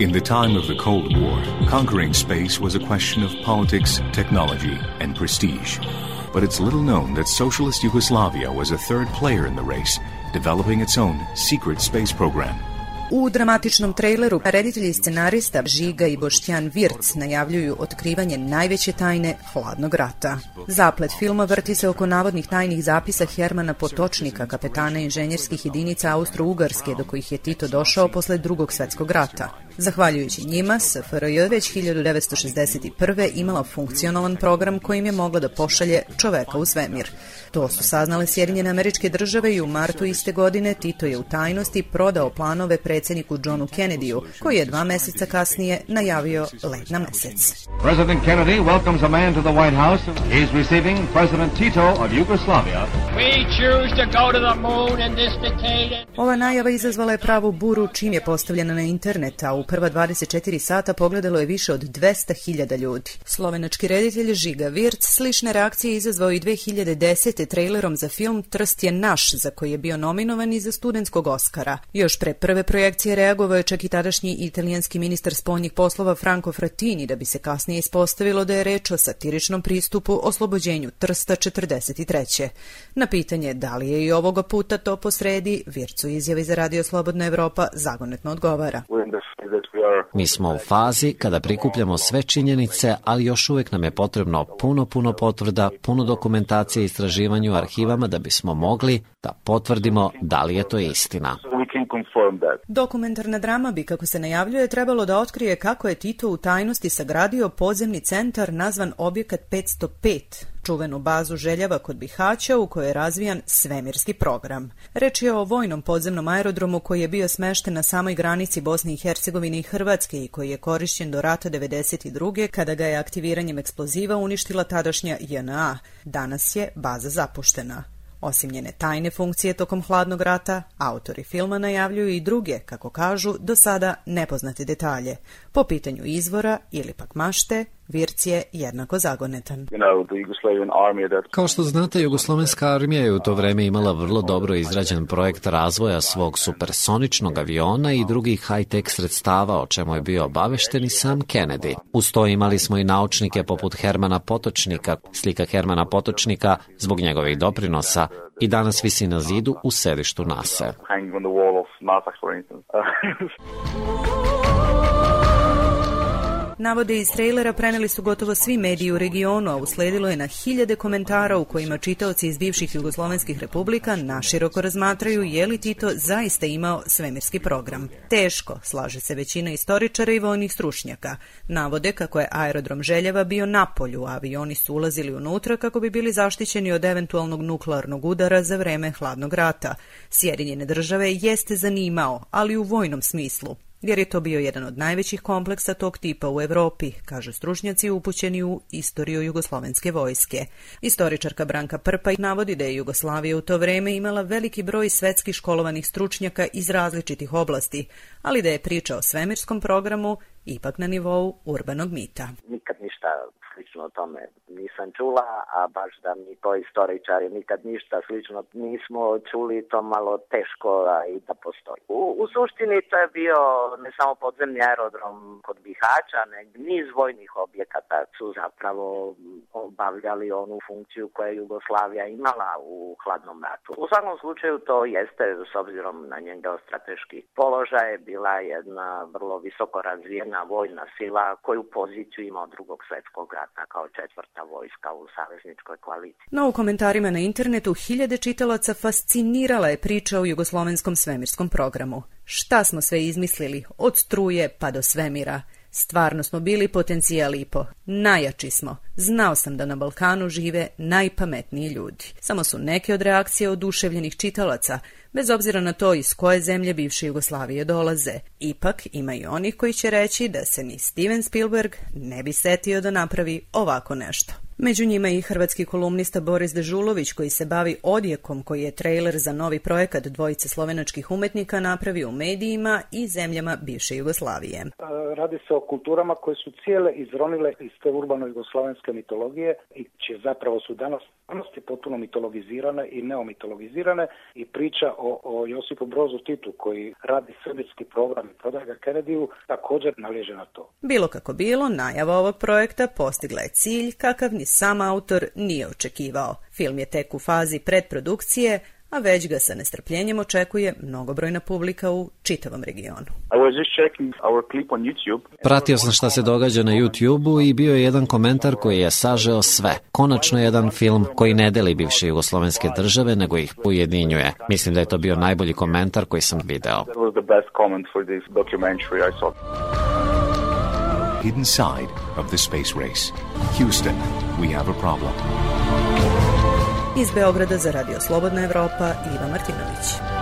In the time of the Cold War, conquering space was a question of politics, technology, and prestige. But it's little known that socialist Yugoslavia was a third player in the race, developing its own secret space program. U dramatičnom traileru reditelji i scenarista Žiga i Boštjan Virc najavljuju otkrivanje najveće tajne hladnog rata. Zaplet filma vrti se oko navodnih tajnih zapisa Hermana Potočnika, kapetana inženjerskih jedinica Austro-Ugarske, do kojih je Tito došao posle Drugog svjetskog rata. Zahvaljujući njima, SFRJ već 1961. imala funkcionalan program kojim je mogla da pošalje čoveka u svemir. To su saznale Sjedinjene Američke Države i u martu iste godine Tito je u tajnosti prodao planove predsjedniku Johnu Kennedyu, koji je 2 meseca kasnije najavio let na mesec. President Kennedy welcomes a man to the White House. He is receiving President Tito of Yugoslavia. We choose to go to the moon in this decade. Ova najava izazvala je pravu buru čim je postavljena na internet, a u prva 24 sata pogledalo je više od 200.000 ljudi. Slovenački reditelj Žiga Virc slične reakcije izazvao i 2010. trailerom za film Trst je naš, za koji je bio nominovan i za studentskog Oskara. Još pre prve projekcije reagovao je čak i tadašnji italijanski ministar spoljnih poslova Franco Frattini, da bi se kasnije ispostavilo da je reč o satiričnom pristupu oslobođenju Trsta 43. Na pitanje da li je i ovoga puta to posredi, Virc u izjavi za Radio Slobodna Evropa zagonetno odgovara. Mi smo u fazi kada prikupljamo sve činjenice, ali još uvijek nam je potrebno puno potvrda, puno dokumentacije i istraživanju u arhivama da bismo mogli da potvrdimo da li je to istina. Dokumentarna drama bi, kako se najavljuje, trebalo da otkrije kako je Tito u tajnosti sagradio podzemni centar nazvan Objekat 505, čuvenu bazu Željava kod Bihaća u kojoj je razvijan svemirski program. Reč je o vojnom podzemnom aerodromu koji je bio smešten na samoj granici Bosne i Hercegovine i Hrvatske i koji je korišćen do rata 1992. kada ga je aktiviranjem eksploziva uništila tadašnja JNA. Danas je baza zapuštena. Osim njene tajne funkcije tokom hladnog rata, autori filma najavljuju i druge, kako kažu, do sada nepoznate detalje. Po pitanju izvora ili pak mašte, Virc je jednako zagonetan. Kao što znate, Jugoslovenska armija je u to vreme imala vrlo dobro izrađen projekt razvoja svog supersoničnog aviona i drugih high-tech sredstava, o čemu je bio obavešten i sam Kennedy. Uz to imali smo i naučnike poput Hermana Potočnika. Slika Hermana Potočnika, zbog njegovih doprinosa, i danas visi na zidu u sedištu NASA. Navode iz trailera preneli su gotovo svi mediji u regionu, a usledilo je na hiljade komentara u kojima čitaoci iz bivših jugoslovenskih republika naširoko razmatraju je li Tito zaista imao svemirski program. Teško, slaže se većina istoričara i vojnih stručnjaka. Navode kako je aerodrom Željeva bio na polju, a avioni su ulazili unutra kako bi bili zaštićeni od eventualnog nuklearnog udara za vreme hladnog rata. Sjedinjene Države jeste zanimao, ali u vojnom smislu, jer je to bio jedan od najvećih kompleksa tog tipa u Evropi, kažu stručnjaci upućeni u istoriju jugoslovenske vojske. Istoričarka Branka Prpa navodi da je Jugoslavija u to vreme imala veliki broj svetski školovanih stručnjaka iz različitih oblasti, ali da je priča o svemirskom programu ipak na nivou urbanog mita. Nikad ništa slično o tome nisam čula, a baš da mi to istoričari nikad ništa slično nismo čuli, to malo teško i da postoji. U suštini to je bio ne samo podzemni aerodrom kod Bihaća, nego niz vojnih objekata su zapravo obavljali onu funkciju koju je Jugoslavija imala u hladnom ratu. U svakom slučaju to jeste, s obzirom na njen geostrateški položaj, bila jedna vrlo visoko razvijena vojna sila koju poziciju ima od Drugog svjetskog rata kao četvrta vojska u savezničkoj koaliciji. No u komentarima na internetu hiljade čitalaca fascinirala je priča o jugoslovenskom svemirskom programu. Šta smo sve izmislili, od struje pa do svemira. Stvarno smo bili potencijal IPO. Najjači smo. Znao sam da na Balkanu žive najpametniji ljudi. Samo su neke od reakcija oduševljenih čitalaca, bez obzira na to iz koje zemlje bivše Jugoslavije dolaze. Ipak ima i onih koji će reći da se ni Steven Spielberg ne bi setio da napravi ovako nešto. Među njima i hrvatski kolumnista Boris Dežulović, koji se bavi odjekom koji je trailer za novi projekat dvojice slovenačkih umetnika napravio u medijima i zemljama bivše Jugoslavije. Radi se o kulturama koje su cijele izronile iz te urbano-jugoslavenske mitologije i čije zapravo su danas potpuno mitologizirane i neomitologizirane, i priča o Josipu Brozu Titu koji radi srbijski program i prodaje ga Kennedyju također naliježe na to. Bilo kako bilo, najava ovog projekta postigla je cilj kakav ni sam autor nije očekivao. Film je tek u fazi predprodukcije, a već ga sa nestrpljenjem očekuje mnogobrojna publika u čitavom regionu. Pratio sam šta se događa na YouTube-u i bio je jedan komentar koji je sažeo sve. Konačno jedan film koji ne deli bivše jugoslovenske države, nego ih ujedinjuje. Mislim da je to bio najbolji komentar koji sam video. Hidden side of the space race. Houston, we have a problem. Iz Beograda za Radio Slobodna Evropa, Iva Martinović.